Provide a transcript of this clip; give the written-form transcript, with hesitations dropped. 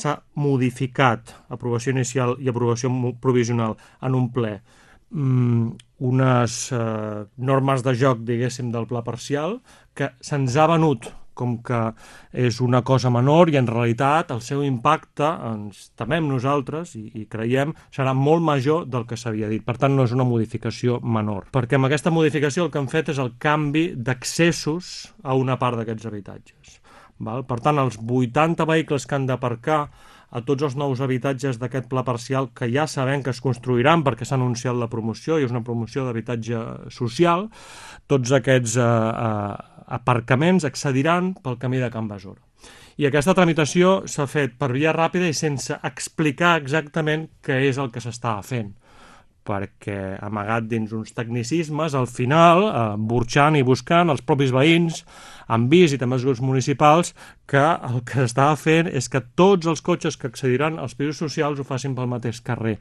s'ha modificat, aprovació inicial i aprovació provisional en un ple, unes normes de joc, diguéssim, del pla parcial, que se'ns ha venut com que és una cosa menor i en realitat el seu impacte, ens temem nosaltres i creiem, serà molt major del que s'havia dit. Per tant, no és una modificació menor. Perquè amb aquesta modificació el que han fet és el canvi d'accessos a una part d'aquests habitatges. Per tant, els 80 vehicles que han d'aparcar a tots els nous habitatges d'aquest pla parcial, que ja sabem que es construiran perquè s'ha anunciat la promoció i és una promoció d'habitatge social, tots aquests aparcaments accediran pel camí de Can Besora. I aquesta tramitació s'ha fet per via ràpida i sense explicar exactament què és el que s'estava fent, perquè amagat dins uns tecnicismes, al final, burxant i buscant els propis veïns, han vist, i també els grups municipals, que el que s'estava fent és que tots els cotxes que accediran als pisos socials ho facin pel mateix carrer.